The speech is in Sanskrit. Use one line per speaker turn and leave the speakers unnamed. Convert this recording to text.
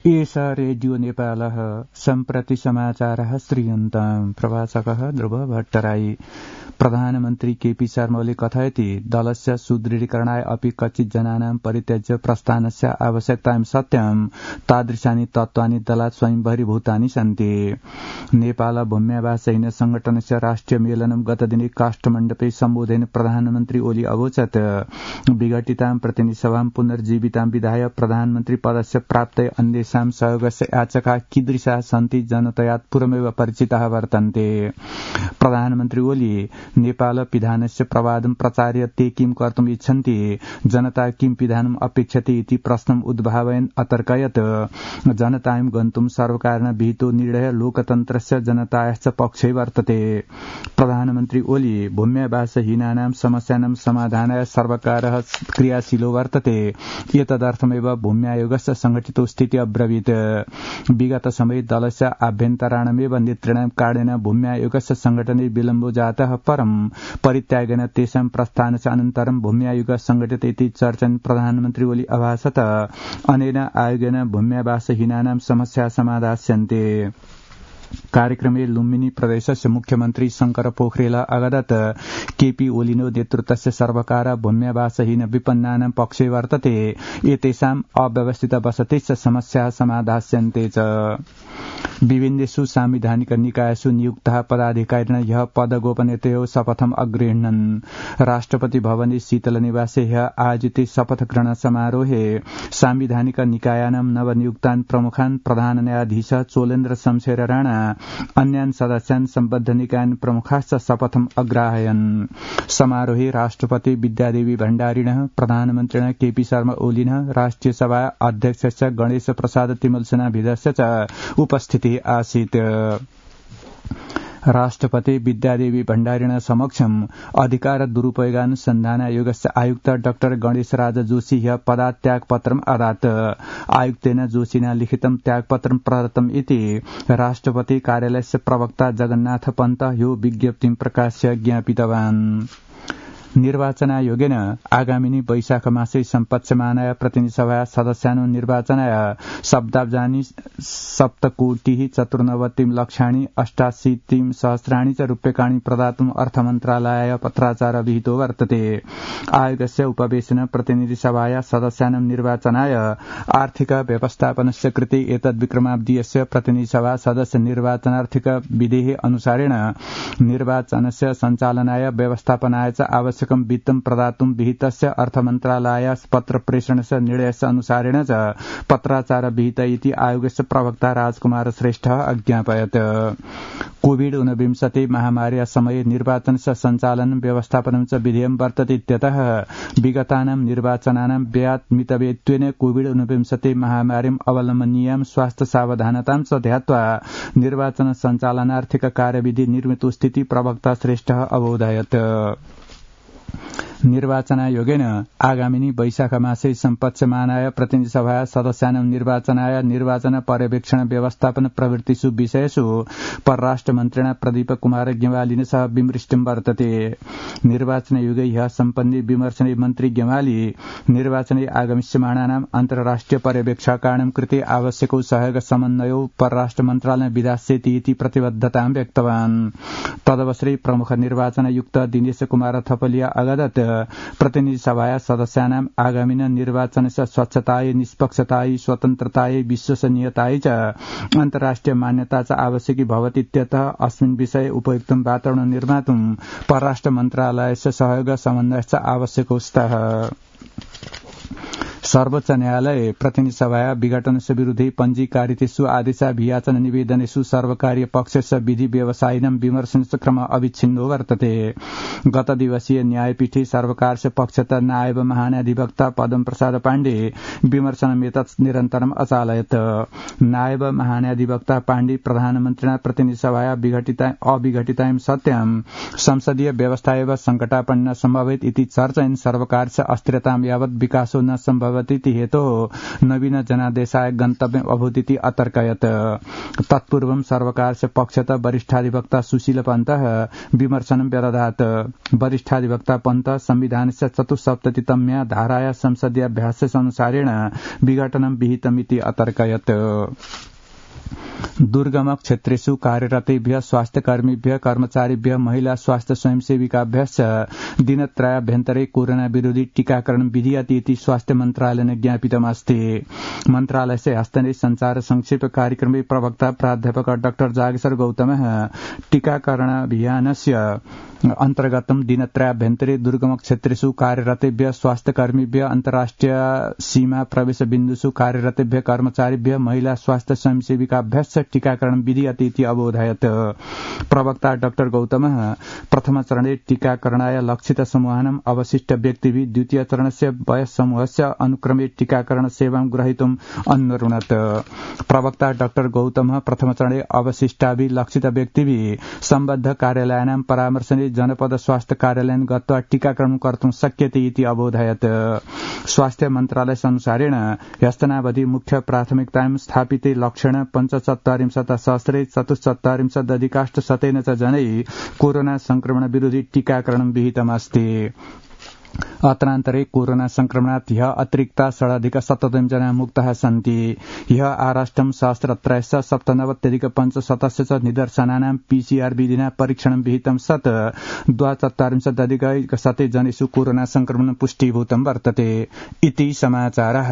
एष रेडियो नेपालः सम्प्रति समाचारः श्रूयन्ताम् प्रवाचकः ध्रुव भट्टराई। प्रधानमन्त्री केपी शर्माले कथयति दलस्य सुदृढीकरणाय अपि कच्चित् जनानां परित्यज्य प्रस्थानस्य आवश्यकतां सत्यं तादृशानि तत्त्वानि दलात् स्वयंबहिर्भूतानि सन्ति। नेपाल भूम्यावासहीन संगठनस्य राष्ट्रिय मेलनं गतदिने काष्ठमण्डपे सम्बोधयन् प्रधानमन्त्री ओली अवोचत् विघटितां प्रतिनिधिसभां पुनर्जीवितां विधाय प्रधानमन्त्री पदस्य प्राप्तये अन्येषां सहयोगस्य याचका कीदृशाः सन्ति जनतया पूर्वमेव परिचिताः वर्तन्ते। प्रधानमन्त्री ओली नेपाल पिधानस्य प्रवादं प्रचार्य ते किं कर्तुम् इच्छन्ति, जनता किं पिधानम् अपेक्षते इति प्रश्नम् उद्भावयन् अतर्कयत् जनतां गन्तुं सर्वकारेण विहितो निर्णयः लोकतन्त्रस्य जनतायाश्च पक्षे वर्तते। प्रधानमन्त्री ओली भूम्यावासहीनानां समस्यानां समाधानाय सर्वकारः क्रियाशीलो वर्तते। एतदर्थमेव भूम्यायोगस्य संघटितो स्थितिः अब्रवीत्। विगत समये दलस्य आभ्यन्तराणमेव नेतॄणां कारणेन भूम्यायोगस्य संघटने विलम्बो जातः परं परित्यागेन तेषां प्रस्थानस्य अनन्तरं भूम्यायोग संघटित इति चर्चन् प्रधानमन्त्री ओली अभाषत अनेन आयोगेन भूम्यावासहीनानां समस्या समाधास्यन्ते। कार्यक्रमे लुम्बिनी प्रदेशस्य मुख्यमन्त्री शंकर पोखरेल अवदत् केपी ओलिनो नेतृत्वस्य सर्वकार भूम्यावासहीन विपन्नानां पक्षे वर्तते। एतेषाम् अव्यवस्थित वसतिश्च समस्याः समाधास्यन्ते च। विभिन्नेषु सांविधानिक निकायेषु नियुक्ताः पदाधिकारिणः ह्यः पदगोपनीयतयोः शपथम् अगृह्णन्। राष्ट्रपति भवने शीतलनिवासे ह्यः आयोजिते शपथग्रहण समारोहे सांविधानिक निकायानां नवनियुक्तान् प्रमुखान् प्रधान न्यायाधीश चोलेन्द्र शमशेर राणा अन्यान् सदस्यान् सम्बद्ध निकायन् प्रमुखाश्च शपथम् अग्राहयन्। समारोहे राष्ट्रपति विद्यादेवी भण्डारिणः, प्रधानमन्त्रिणः केपी शर्मा ओलिनः, राष्ट्रिय सभा अध्यक्षस्य गणेश प्रसाद तिमलसेनाभिधस्य च उपस्थितिः आसीत्। राष्ट्रपति विद्यादेवी भण्डारिण समक्षम् अधिकार दुरुपयोगानुसन्धान आयोगस्य आयुक्त डॉ गणेशराज जोशी ह्यः पदात् त्यागपत्रम् अदात्। आयुक्तेन जोशिना लिखितं त्यागपत्रं प्रदत्तम् इति राष्ट्रपति कार्यालयस्य प्रवक्ता जगन्नाथ पन्त ह्यो विज्ञप्तिं प्रकाश्य ज्ञापितवान्। निर्वाचनायोगेन आगामिनी वैशाख मासे सम्पत्स्यमानाय प्रतिनिधिसभा सदस्यानां निर्वाचनाय शब्दाब्जानि 7,94,लक्षाणि च रूप्यकाणि प्रदातुम् अर्थमन्त्रालयाय पत्राचार विहितो वर्तते। आयोगस्य उपवेशने प्रतिनिधिसभाया सदस्यानां निर्वाचनाय आर्थिक व्यवस्थापनस्य कृते एतद्विक्रमाब्दीयस्य प्रतिनिधिसभा सदस्य निर्वाचनार्थिक विधेः अनुसारेण निर्वाचनस्य सञ्चालनाय व्यवस्थापनाय च आवश्यक वित्तं प्रदातुं विहितस्य अर्थमन्त्रालयाय पत्र प्रेषणस्य निर्णयस्य अनुसारेण च पत्राचार विहित इति आयोगस्य प्रवक्ता राजकुमार श्रेष्ठः अज्ञापयत्। कोविड-19 महामार्याः समये निर्वाचनस्य सञ्चालनं व्यवस्थापनं च विधेयं वर्तते इत्यतः विगतानां निर्वाचनानां व्ययात् मितव्ययत्वेन कोविड-19 महामारीम् अवलम्बनीयां स्वास्थ्य सावधानतां च ध्यात्वा निर्वाचन सञ्चालनार्थिक कार्यविधि निर्मितो स्थिति प्रवक्ता श्रेष्ठः अबोधयत्। निर्वाचनायोगेन आगामिनी वैशाख मासे सम्पत्स्यमानाय प्रतिनिधिसभा सदस्यानां निर्वाचनाय निर्वाचन पर्यवेक्षण व्यवस्थापन प्रवृत्तिषु विषयेषु परराष्ट्रमन्त्रिणा प्रदीप कुमार गेवालिन सह विमृष्टं वर्तते। निर्वाचनायोगे ह्यः सम्पन्ने विमर्शने मन्त्री गेवाली निर्वाचने आगमिष्यमाणानाम् अन्तर्राष्ट्रिय पर्यवेक्षकाणां कृते आवश्यको सहयोग समन्वयो परराष्ट्रमन्त्रालय विधास्यति इति प्रतिबद्धतां व्यक्तवान्। तदवसरे प्रमुख निर्वाचनायुक्त दिनेश कुमार थपलिया अवदत् प्रतिनिधिसभाया सदस्यानाम् आगामिन निर्वाचनस्य स्वच्छतायै, निष्पक्षतायै, स्वतन्त्रतायै, विश्वसनीयतायै च अन्तर्राष्ट्रिय मान्यता च आवश्यकी भवति इत्यतः अस्मिन् विषये उपयुक्तं वातावरणं निर्मातुं परराष्ट्र मन्त्रालयस्य सहयोग समन्वयश्च आवश्यको स्तः। सर्वोच्च न्यायालय प्रतिनिधिसभाया विघटनस्य विरुद्धे पञ्जीकारितेषु आदेशाभियाचन निवेदनेषु सर्वकारीय पक्षस्य विधि व्यवसायिनां विमर्शनस्य क्रम अविच्छिन्नो वर्तते। गत दिवसीय न्यायपीठे सर्वकारस्य पक्षतः नायब महान्याधिवक्ता पदम प्रसाद पाण्डे विमर्शनमेतत् निरन्तरम् अचालयत्। नायब महान्याधिवक्ता पाण्डे प्रधानमन्त्रिणा प्रतिनिधिसभाया अविघटितां सत्यां संसदीय व्यवस्था एव संकटापन्न सम्भवेत् इति चर्चयन् सर्वकारस्य अस्थिरतां यावत् विकासो न सम्भव भवतीति हेतोः नवीन जनादेशाय गन्तव्यम् अभूदिति अतर्कयत्। तत्पूर्वं सर्वकारस्य पक्षतः वरिष्ठाधिवक्ता सुशील पन्तः विमर्शनं व्यदधात्। वरिष्ठाधिवक्ता पन्तः संविधानस्य 74तम्या धाराया संसदीयाभ्यासनुसारेण विघटनं विहितमिति अतर्कयत्। दुर्गम क्षेत्रेषु कार्यरतेभ्यः स्वास्थ्यकर्मीभ्यः कर्मचारिभ्यः महिला स्वास्थ्य स्वयंसेविकाभ्यश्च दिनत्रयाभ्यन्तरे कोरोना विरोधी टीकाकरण विधीयते इति स्वास्थ्य मन्त्रालयेन ज्ञापितमस्ति। मन्त्रालयस्य हस्तने संचार संक्षेप कार्यक्रमे प्रवक्ता प्राध्यापक डाक्टर जागेश्वर गौतमः टीकाकरणाभियानस्य अन्तर्गतं दिनत्रयाभ्यन्तरे दुर्गम क्षेत्रेषु कार्यरतेभ्यः स्वास्थ्यकर्मीभ्यः अन्तर्राष्ट्रिय सीमा प्रवेश बिन्दुषु कार्यरतेभ्यः कर्मचारिभ्यः महिला स्वास्थ्य स्वयंसेविकाभ्यश्च टीकाकरण विधीयते इति अबोधयत्। प्रवक्ता डाक्टर गौतमः प्रथमचरणे टीकाकरणाय लक्षित समूहानाम् अवशिष्ट व्यक्तिभिः द्वितीय चरणस्य वयस्समूहस्य अनुक्रमे टीकाकरण सेवां ग्रहीतुम् अन्वरुणत्। प्रवक्ता डाक्टर गौतमः प्रथमचरणे अवशिष्टाभिः लक्षित व्यक्तिभिः सम्बद्ध कार्यालयानां परामर्शने जनपद स्वास्थ्य कार्यालयं गत्वा टीकाकरणं कर्तुं शक्यते इति अबोधयत्। स्वास्थ्य मन्त्रालयनुसारेण ह्यस्तनावधि मुख्य प्राथमिकतायां स्थापिते लक्षणे 75,000 चतुश्चत्वारिंशदधिकाष्टशतेन च जनैः कोरोना संक्रमण विरोधी टीकाकरणं विहितमस्ति। अत्रान्तरे कोरोना संक्रमणात् ह्यः अतिरिक्ता 6,000 जना मुक्ताः सन्ति। ह्यः आराष्ट्रं सहस्रत्रयस्य 97,500 च निदर्शनानां PCR विधिना परीक्षणं विहितं सत् 42,अधिकशते जनेषु कोरोना संक्रमणं पुष्टीभूतं वर्तते इति समाचारः।